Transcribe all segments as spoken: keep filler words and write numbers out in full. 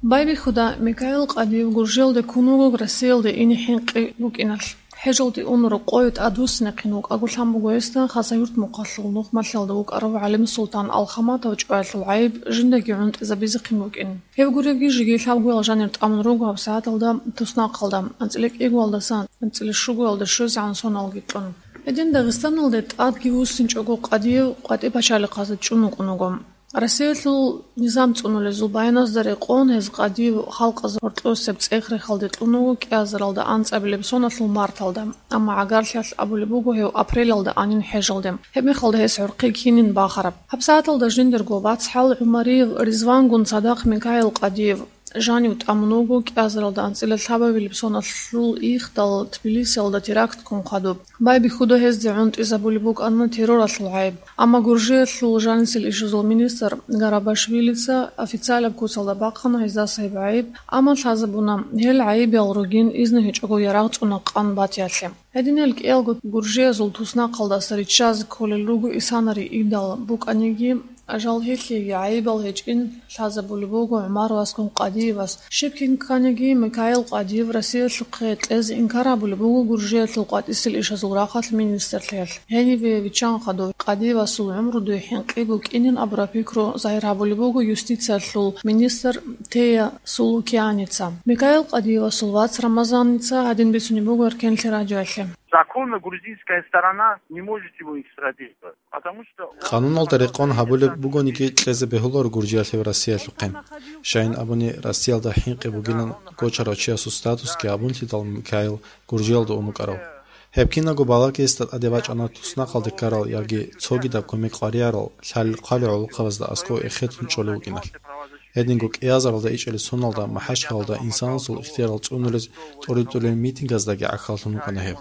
Байбихьуда, Микаил Къадиев Гуржиялде ккун вуго Россиялде ине хӀинкъи букӀиналъ. ХӀежалде унарго къое тӀадвуссинехъин вукӀаго лъан буго гьесда Хасавюрт мухъалъул нухмалъалда вукӀарав ГӀалимсултан Алхаматов чӀваялъул гӀайиб жиндаги гӀунтӀизабизехъин букӀин. Гьев гуреги жеги лъабгоял жанир тӀамун руго гьабсагӀаталда туснахъалда, анцӀила кӀигоялдаса анцӀила щугоялда щвезегӀан соналги кьун. Гьедин Дагъистаналде тӀадги вуссинчӀого Къадиев къватӀи пачалихъазда чӀун вукӀун вуго. Россиялъул низам цӀунулезул баяназдаса рекъон гьез Къадиев халкъазда гьоркьосеб цӀех-рехалде кьун вуго кӀиазаралда анцӀабилеб соналъул марталда, амма гӀагарлъиялъ абулеб буго гьев апрелалда анин хӀежалде. Гьеб мехалда гьес гӀурхъи кинин бахараб. ГьабсагӀаталда жиндирго вацгӀал ГӀумариев Ризвангун цадахъ Микаил Къадиев жанив тӀамун вуго кӀиазаралда анцӀила лъабабилеб соналъул ихдал Тбилисиялда терактгун хъвадуб. Байбихьуда гьезде гӀунтӀизабулеб букӀана терроралъул гӀайиб. Амма Гуржиялъул жанисел ишазул министр Гарабашвилица официалаб куцалда бахъана гьездаса гьеб гӀайиб, амма лъазабуна гьел гӀайибал ругин изну гьечӀого ярагъ цӀуна къан батиялъе. Гьединал кӀиялго гуржиязул туснахъалдаса риччазе кколел руго исанари идал букӀаниги, ажал гьелъиеги гӀайибал гьечӀин лъазабулеб буго ГӀумаровасгун Къадиевас. Щиб кин кканиги, Микаил Къадиев Россиялъухъе кьезе инкар гьабулеб буго Гуржиялъул къватӀисел ишазул рахъалъ министрлъиялъ. Гьенибе виччан хадур Къадиевасул гӀумру дуе хӀинкъи букӀинин абураб пикру загьир гьабулеб буго юстициялъул министр Тея Сулукианица. Микаил Къадиевасул вац Рамазаница гьадин бицунеб буго Эркенлъи радиоялъе. Законно грузинская сторона не может его экстрадировать, потому что он... Къануналда рекъон гьабулеб бугониги кьезе бегьуларо Гуржиялъе ва Россиялъухъе. Щайин абуни, Россиялда хӀинкъи бугилан гочарав чиясул статусги гьабунлъидал Микаил Гуржиялда ун вукӀарав. Гьеб кинабго балагьги гьесда тӀаде бачӀана туснахъалде ккарал яги цогидаб кумек къваригӀарал лъалел-хъвалел гӀолохъабазда аскӀов эхетун чӀолев вукӀиналъ. Гьединго кӀиазаралда ичӀелел соналда МахӀачхъалаялда инсанасул ихтиярал цӀунулез тӀоритӀулел митингаздаги гӀахьаллъун вукӀана гьев.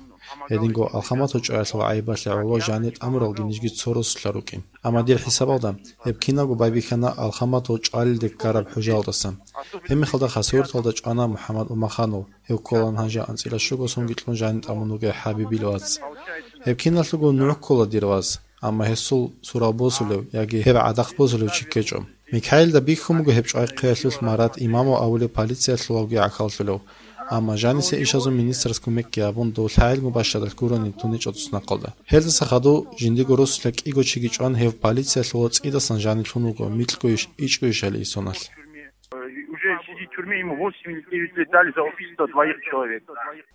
Гьединго Алхаматов чӀваялъул гӀайибалъе гӀоло жанир тӀамуралги нижги цо росулъа рукӀин. Амма дир хӀисабалда, гьеб кинабго байбихьана Алхаматов чӀвалелде ккараб хӀужаялдаса. Гьебмехалда Хасавюрталда чӀвана МухӀаммад Умаханов, гьев кколаан гьанже анцӀила щуго сонги кьун жанив тӀамун вугев ХӀабибил вац. Гьеб киналъулго нугӀ ккола дир вас, амма гьесул сурал босулев яги гьеб гӀадахъ босулев чи ккечӀо. Микаилда бихьун буго гьеб чӀвай хъвеялъулъ Марат Имамов абулев полициялъулавги гӀахьаллъулев, амма жанисе ишазул министрас кумекги гьабун, дов лъагӀел мубашшадалъ гурони тунечӀо туснахъалда. Гьелдаса хадув жиндиего росулъа кӀиго чиги чӀван, гьев полициялъул цӀидасан жанив лъун вуго микьгойищ, ичӀгойищали исоналъ. Уже сидит в тюрьме, ему восемь или девять лет дали за убийство двоих человек.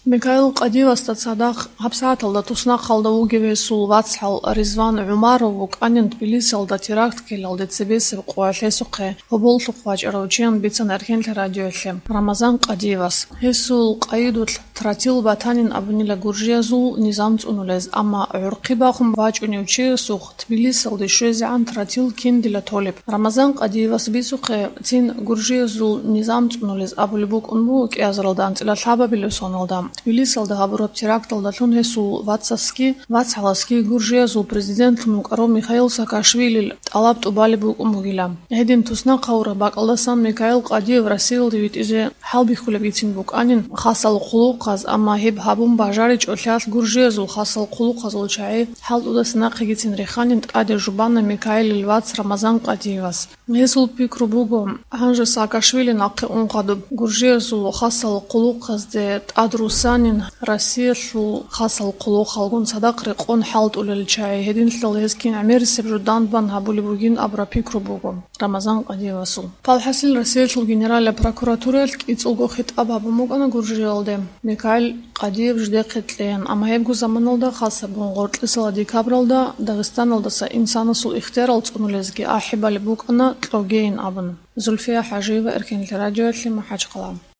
Микаил Къадиевасда цадахъ гьабсагӀаталда туснахъалда вугев гьесул вацгӀал Ризван ГӀумаров вукӀанин Тбилисиялда теракт ккелалде цебесеб къоялъ гьесухъе гьоболлъухъ вачӀарав чиян бицана Эркенлъи радиоялъе Рамазан Къадиевас. Гьесул къайидулъ тротил батанин абунила гуржиязул низам цӀунулез, амма гӀурхъи бахун вачӀунев чиясухъ Тбилисиялде щвезегӀан тротил киндила толеб. Рамазан Къадиевас бицухъе, цин гуржиязул низам цӀунулез абулеб букӀун буго кӀиазаралда анцӀила лъабабилеб соналда, Тбилисиялда гьабураб теракталдалъун гьесул вацасги, вацгӀаласги гуржиязул президентлъун вукӀарав Михаил Саакашвилил тӀалаб тӀубалеб букӀун бугила. Гьедин туснахъ гьавураб бакӀалдасан Микаил Къадиев Россиялде витӀизе хӀалбихьулебгицин букӀанин хасал хъулухъаз, амма гьеб гьабун бажаричӀолъиялъ гуржиязул хасал хъулухъазул чагӀи хӀалтӀудаса нахъегицин реханин тӀаде жубана Микаилил вац Рамазан Къадиевас. Гьесул пикру буго, гьанже Саакашвили нахъе ун хадуб, гуржиязул хасал хъулухъазде тӀадруссанин Россиялъул хасал хъулухъалгун цадахъ рекъон хӀалтӀулел чагӀи, гьединлъидал гьез кин гӀемерисеб жо данбан гьабулеб бугин абураб пикру буго Рамазан Къадиевасул. Палхасил Россиялъул Генералияб прокуратураялъ кӀицӀулго хитӀаб гьабун букӀана Гуржиялде Микаил Къадиев жидехъе кьеян, амма гьебго заманалда, хасабун гъоркьисала декабралда, Дагъистаналдаса инсанасул ихтиярал цӀунулезги ахӀи балеб букӀана кьогейин абун. Зульфия ХӀажиева, Эркенлъи радиоялъе, МахӀачхъала.